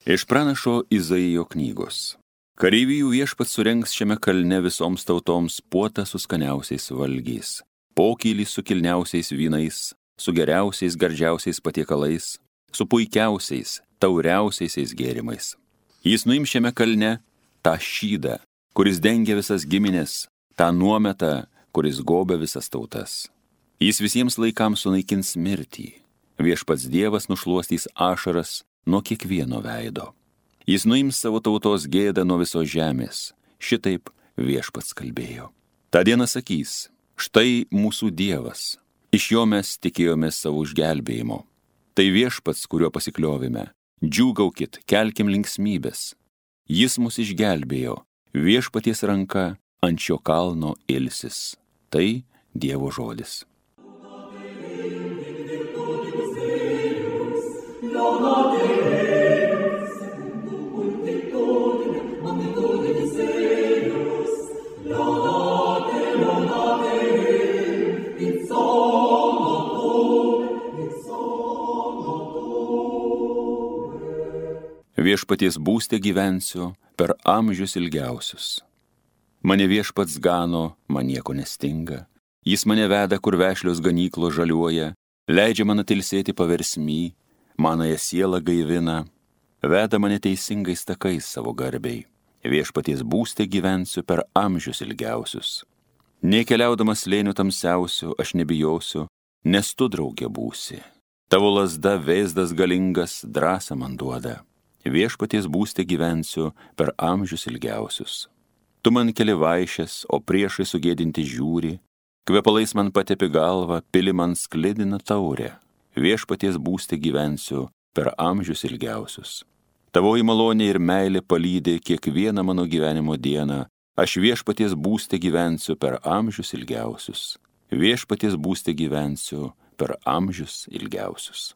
Iš pranašo Izaijo knygos. Kareivijų viešpats surengs šiame kalne visoms tautoms puotą su skaniausiais valgiais, pokylį su kilniausiais vynais, su geriausiais gardžiausiais patiekalais, su puikiausiais, tauriausiais gėrimais. Jis nuims šiame kalne tą šydą, kuris dengia visas giminės, tą nuometą, kuris gobia visas tautas. Jis visiems laikams sunaikins mirtį. Viešpats Dievas nušluostys ašaras nuo kiekvieno veido. Jis nuims savo tautos gėdą nuo visos žemės. Šitaip viešpats kalbėjo. Ta diena sakys, štai mūsų Dievas. Iš jo mes tikėjomės savo išgelbėjimo. Tai viešpats, kuriuo pasikliovime. Džiūgaukit, kelkim linksmybės. Jis mus išgelbėjo. Viešpaties ranka ant šio kalno ilsis. Tai Dievo žodis. Viešpaties būste gyvensiu per amžius ilgiausius. Mane viešpats gano, man nieko nestinga. Jis mane veda, kur vešlios ganyklos žaliuoja, leidžia man atilsėti paversmy, manąją sielą gaivina, veda mane teisingais takais savo garbei. Viešpaties būste gyvensiu per amžius ilgiausius. Nė keliaudamas slėnių tamsiausių aš nebijosiu, nes tu draugė būsi. Tavo lazda vėzdas galingas drąsą man duoda. Viešpaties būste gyvensiu per amžius ilgiausius. Tu man keli vaišes, o priešai sugėdinti žiūri, kvepalais man patepi galvą, pili man sklidina taurę. Viešpaties būste gyvensiu per amžius ilgiausius. Tavoji malonė ir meilė palydė kiekvieną mano gyvenimo dieną. Aš viešpaties būste gyvensiu per amžius ilgiausius. Viešpaties būste gyvensiu per amžius ilgiausius.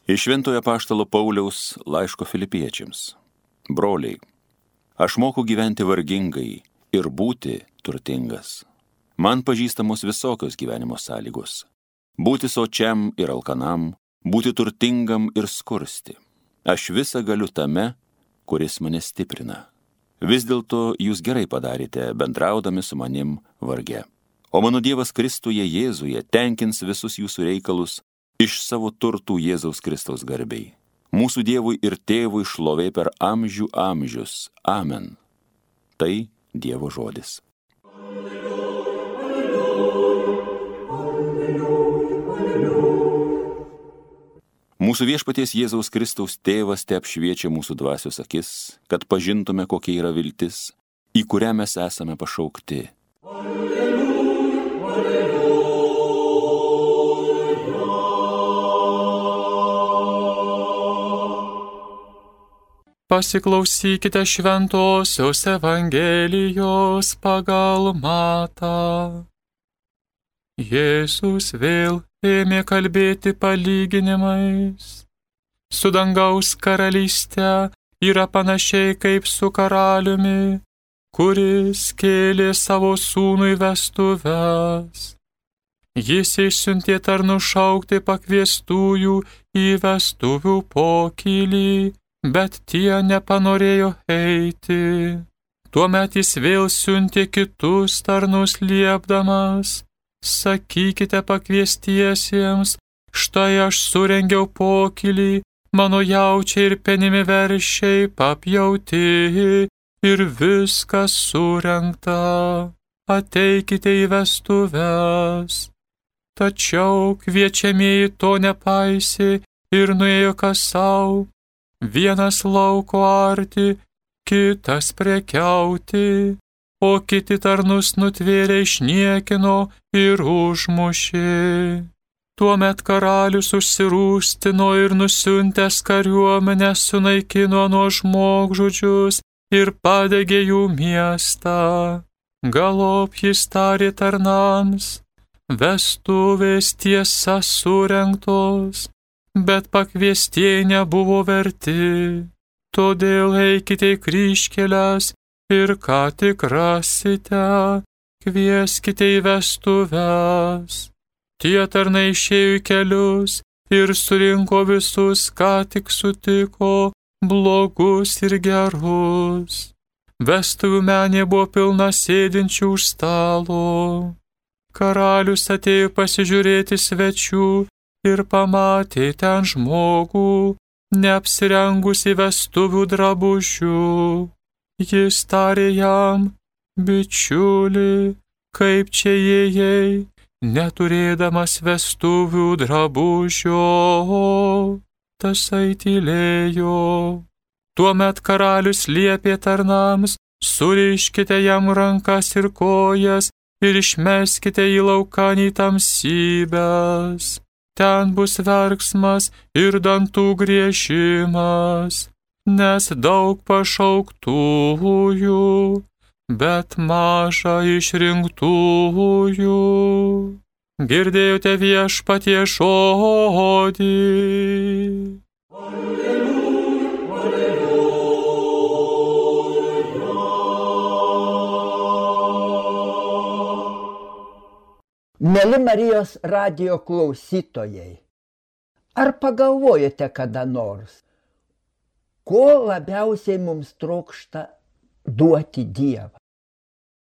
Iš Šventojo apaštalo Pauliaus laiško Filipiečiams. Broliai, aš moku gyventi vargingai ir būti turtingas. Man pažįstamos visokios gyvenimo sąlygos. Būti sočiam ir alkanam, būti turtingam ir skursti. Aš visą galiu tame, kuris mane stiprina. Vis dėlto jūs gerai padarėte, bendraudami su manim varge. O mano Dievas Kristuje Jėzuje tenkins visus jūsų reikalus iš savo turtų Jėzaus Kristaus garbei. Mūsų Dievui ir Tėvui šlovė per amžių amžius. Amen. Tai Dievo žodis. Mūsų viešpaties Jėzaus Kristaus Tėvas te apšviečia mūsų dvasios akis, kad pažintume, kokia yra viltis, į kurią mes esame pašaukti. Pasiklausykite šventosios Evangelijos pagal Matą. Jėzus vėl ėmė kalbėti palyginimais. Su dangaus karalyste yra panašiai kaip su karaliumi, kuris kėlė savo sūnui vestuves. Jis išsiuntė tarnus šaukti pakviestųjų į vestuvių pokylį, bet tie nepanorėjo eiti. Tuomet jis vėl siuntė kitus tarnus liepdamas: sakykite pakviestiesiems, štai aš surengiau pokylį, mano jaučiai ir penimi veršiai papjauti ir viskas surengta. Ateikite į vestuves. Tačiau kviečiamieji to nepaisė ir nuėjo kas sau, vienas lauko arti, kitas prekiauti, o kiti tarnus nutvėrė, išniekino ir užmušė. Tuomet karalius užsirūstino ir nusiuntęs kariuomenę sunaikino nuo žmogžudžius ir padegė jų miestą. Galop jis tarė tarnams: vestuvės tiesa surengtos, bet pakviestieji nebuvo verti. Todėl eikite į kryžkeles ir ką tik rasite, kvieskite į vestuves. Tie tarnai išėjo į kelius ir surinko visus, ką tik sutiko, blogus ir gerus. Vestuvių menė buvo pilna sėdinčių už stalo. Karalius atėjo pasižiūrėti svečių ir pamatė ten žmogų, neapsirengusi vestuvių drabužių. Jis tarė jam: bičiuli, kaip čia įėjai, neturėdamas vestuvių drabužio? Tasai tylėjo. Tuomet karalius liepė tarnams: suriškite jam rankas ir kojas ir išmeskite į laukanį tamsybes. Ten bus verksmas ir dantų griežimas, nes daug pašauktųjų, bet maža išrinktųjų. Girdėjote Viešpaties žodį. Mieli Marijos radijo klausytojai, ar pagalvojate kada nors, ko labiausiai mums trokšta duoti Dievą?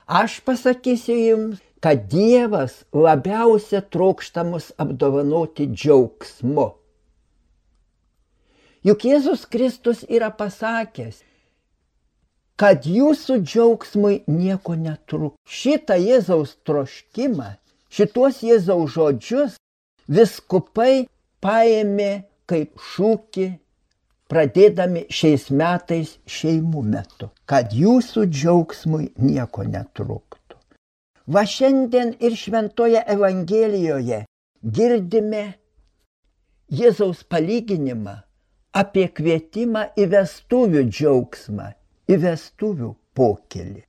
Aš pasakysiu jums, kad Dievas labiausia trokšta mus apdovanoti džiaugsmu. Juk Jėzus Kristus yra pasakęs, kad jūsų džiaugsmui nieko netrūks. Šitą Jėzaus troškimą, šitos Jėzaus žodžius vyskupai paėmė kaip šūkį, pradėdami šiais metais šeimų metu, kad jūsų džiaugsmui nieko netrūktų. Va šiandien ir Šventoje Evangelijoje girdime Jėzaus palyginimą apie kvietimą į vestuvių džiaugsmą, į vestuvių pokylį.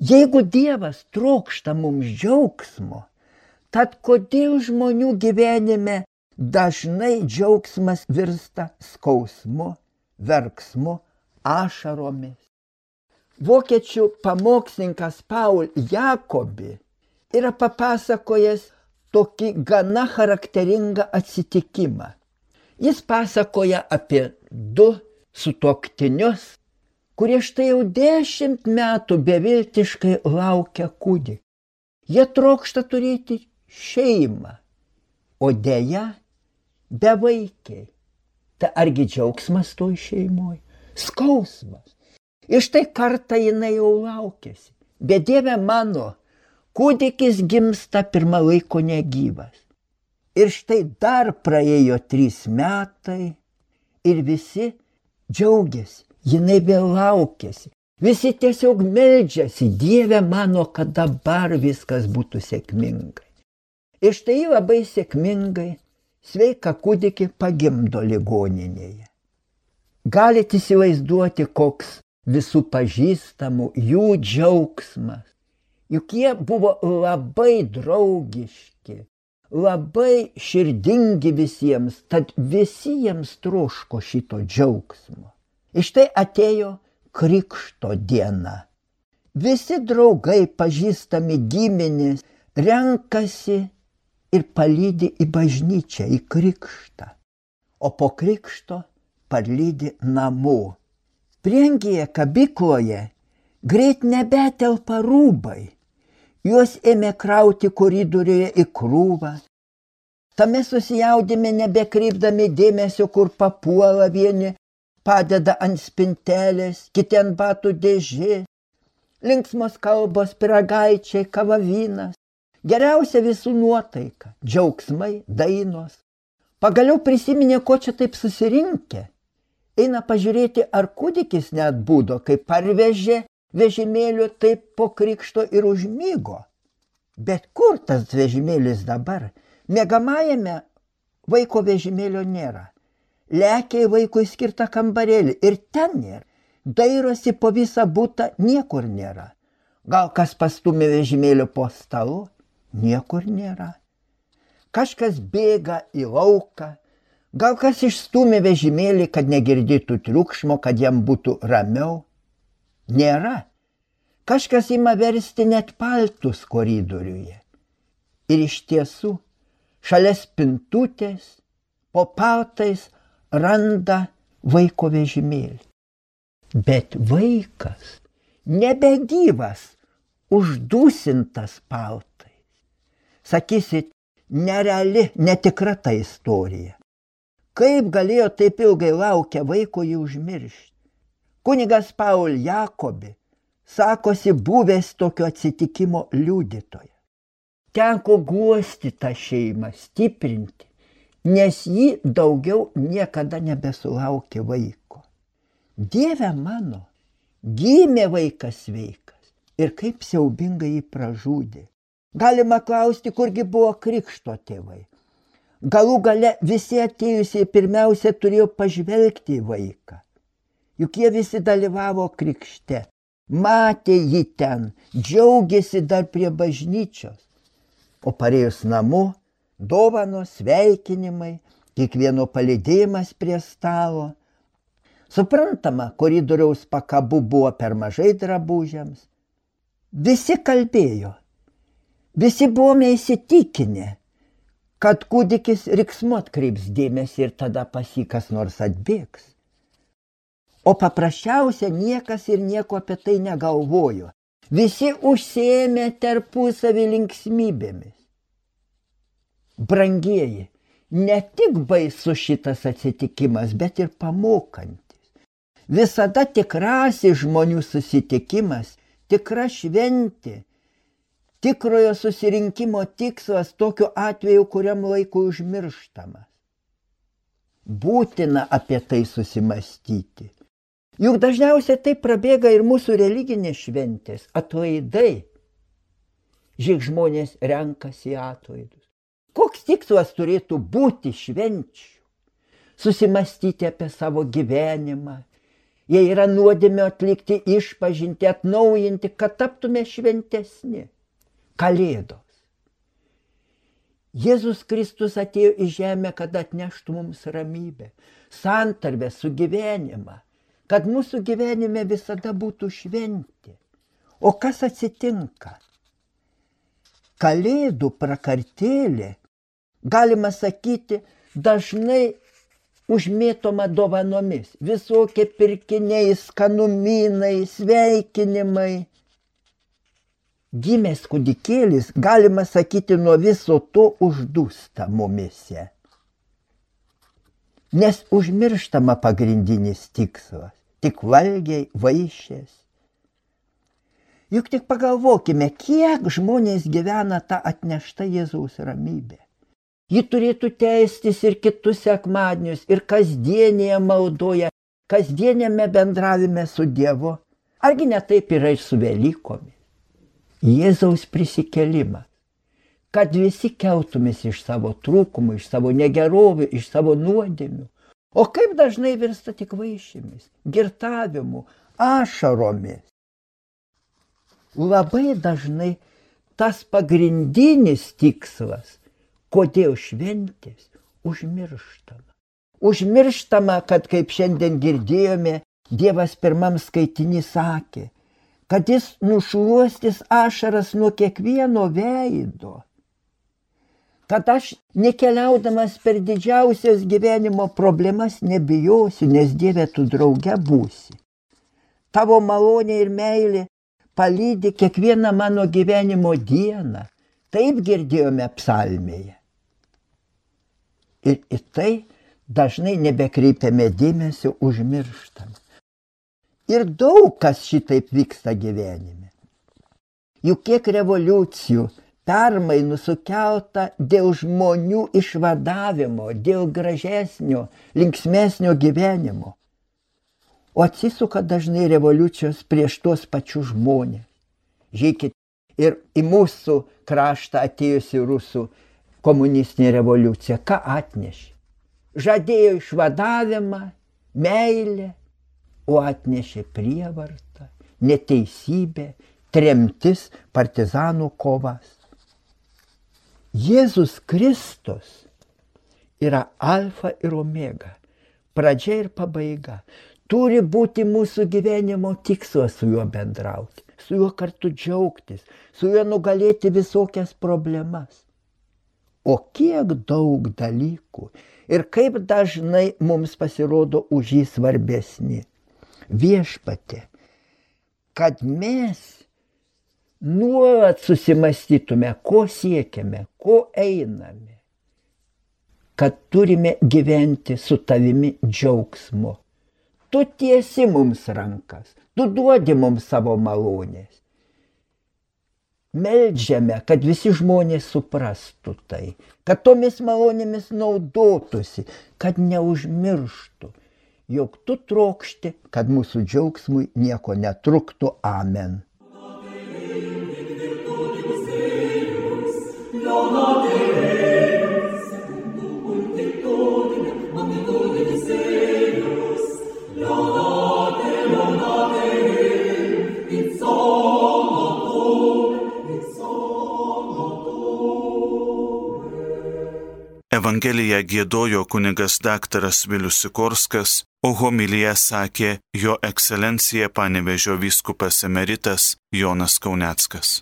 Jeigu Dievas trokšta mums džiaugsmo, tad kodėl žmonių gyvenime dažnai džiaugsmas virsta skausmu, verksmu, ašaromis? Vokiečių pamokslininkas Paul Jacobi yra papasakojęs tokį gana charakteringą atsitikimą. Jis pasakoja apie du sutuoktinius, kurie štai jau 10 metų beviltiškai laukia kūdikio. Jie trokšta turėti šeimą, o deja bevaikiai. Tai argi džiaugsmas toj šeimoj? Skausmas. Ir štai kartą jinai jau laukėsi. Bet Dieve mano, kūdikis gimsta pirmą laiko negyvas. Ir štai dar praėjo 3 metai ir visi džiaugiasi. Jinai vėl laukėsi. Visi tiesiog meldžiasi: Dieve mano, kad dabar viskas būtų sėkmingai. Ir štai labai sėkmingai sveiką kūdikį pagimdo ligoninėje. Galite įsivaizduoti, koks visų pažįstamų jų džiaugsmas. Juk jie buvo labai draugiški, labai širdingi visiems, tad visi jiems troško šito džiaugsmo. Ir štai atėjo krikšto diena. Visi draugai, pažįstami giminės, renkasi ir palydi į bažnyčią, į krikštą. O po krikšto parlydi namo. Prieangyje kabykloje greit nebetelpa rūbai. Juos ėmė krauti koridoriuje į krūvą. Tame susijaudime nebekreipdami dėmesio, kur papuola, vieni padeda ant spintelės, kiti ant batų dėžės. Linksmos kalbos, pyragaičiai, kava, vynas. Geriausia visų nuotaika, džiaugsmai, dainos. Pagaliau prisiminė, ko čia taip susirinkę. Eina pažiūrėti, ar kūdikis neatbudo, kai parvežė vežimėliu, taip po krikšto ir užmygo. Bet kur tas vežimėlis dabar? Miegamajame vaiko vežimėlio nėra. Lekia į vaikui skirtą kambarėlį ir ten nėra. Dairosi po visą butą, niekur nėra. Gal kas pastumė vežimėlio po stalu? Niekur nėra. Kažkas bėga į lauką, gal kas išstūmė vežimėlį, kad negirdytų triukšmo, kad jam būtų ramiau. Nėra. Kažkas ima versti net paltus koridoriuje. Ir iš tiesų, šalia spintutės, po paltais randa vaiko vežimėlį. Bet vaikas nebegyvas, uždūsintas paltais. Sakysit, nereali, netikra ta istorija. Kaip galėjo taip ilgai laukę vaiko jį užmiršti? Kunigas Paul Jakobi sakosi buvęs tokio atsitikimo liudytoja. Teko guosti tą šeimą, stiprinti, nes ji daugiau niekada nebesulaukė vaiko. Dieve mano, gimė vaikas sveikas ir kaip siaubingai jį pražudė. Galima klausti, kurgi buvo krikšto tėvai. Galų gale visi atėjusiai pirmiausia turėjo pažvelgti į vaiką. Juk jie visi dalyvavo krikšte, matė jį ten, džiaugėsi dar prie bažnyčios. O parėjus namo, dovanos, sveikinimai, kiekvieno palydėjimas prie stalo. Suprantama, koridoriaus pakabų buvo per mažai drabužiams. Visi kalbėjo, visi buvome įsitikinę, kad kūdikis riksmu atkreips dėmesį ir tada pas jį kas nors atbėgs. O paprasčiausia niekas ir nieko apie tai negalvojo. Visi užsiėmė tarpusavį linksmybėmis. Brangieji, ne tik baisus šitas atsitikimas, bet ir pamokantis. Visada tikrasis žmonių susitikimas, tikra šventė, tikrojo susirinkimo tikslas tokiu atveju, kuriam laikui užmirštamas. Būtina apie tai susimastyti. Juk dažniausiai tai prabėga ir mūsų religinės šventės, atlaidai. Žiūrėk, žmonės renkasi atlaidus. Koks tikslas turėtų būti švenčių? Susimastyti apie savo gyvenimą. Jei yra nuodėmė atlikti išpažinti, atnaujinti, kad taptume šventesni. Kalėdos. Jėzus Kristus atėjo į žemę, kad atneštų mums ramybę, santarvę, sugyvenimą, kad mūsų gyvenime visada būtų šventė. O kas atsitinka? Kalėdų prakartėlė, galima sakyti, dažnai užmėtoma dovanomis. Visokie pirkiniai, skanumynai, sveikinimai. Gimęs kūdikėlis, galima sakyti, nuo viso to uždūsta mumise. Nes užmirštama pagrindinis tikslas. Tik valgiai, vaišės. Juk tik pagalvokime, kiek žmonės gyvena tą atneštą Jėzaus ramybę. Ji turėtų teistis ir kitus sekmadienius, ir kasdienėje maldoje, kasdienėme bendravime su Dievu. Argi ne taip yra ir su Velykomis? Jėzaus prisikėlimas, kad visi keltumės iš savo trūkumų, iš savo negerovių, iš savo nuodėmių. O kaip dažnai virsta tik vaišėmis, girtavimu, ašaromis. Labai dažnai tas pagrindinis tikslas, kodėl šventės, užmirštama. Užmirštama, kad kaip šiandien girdėjome, Dievas pirmam skaitiny sakė, kad jis nušluostys ašaras nuo kiekvieno veido. Kad aš nekeliaudamas per didžiausias gyvenimo problemas nebijosiu, nes Dieve tu drauge būsi. Tavo malonė ir meilė palydi kiekvieną mano gyvenimo dieną. Taip girdėjome psalmėje. Ir į tai dažnai nebekreipiame dėmesio, užmirštame. Ir daug kas šitaip vyksta gyvenime. Juk kiek revoliucijų, permainų sukelta dėl žmonių išvadavimo, dėl gražesnio, linksmesnio gyvenimo. O atsisuka dažnai revoliucijos prieš tuos pačius žmonės. Žiūrėkit, ir į mūsų kraštą atėjusi rusų komunistinė revoliucija, ką atnešė? Žadėjo išvadavimą, meilę, o atnešė prievartą, neteisybę, tremtis, partizanų kovas. Jėzus Kristus yra alfa ir omega, pradžia ir pabaiga. Turi būti mūsų gyvenimo tikslas su juo bendrauti, su juo kartu džiaugtis, su juo nugalėti visokias problemas. O kiek daug dalykų ir kaip dažnai mums pasirodo už jį svarbesni. Viešpatie, kad mes nuolat susimastytume, ko siekiame, ko einame, kad turime gyventi su tavimi džiaugsmu. Tu tiesi mums rankas, tu duodi mums savo malonės. Meldžiame, kad visi žmonės suprastų tai, kad tomis malonėmis naudotųsi, kad neužmirštų, jog tu trokšti, kad mūsų džiaugsmui nieko netruktų. Amen. Evangeliją giedojo kunigas daktaras Vilius Sikorskas, o homiliją sakė jo ekscelencija Panevėžio vyskupas emeritas Jonas Kauneckas.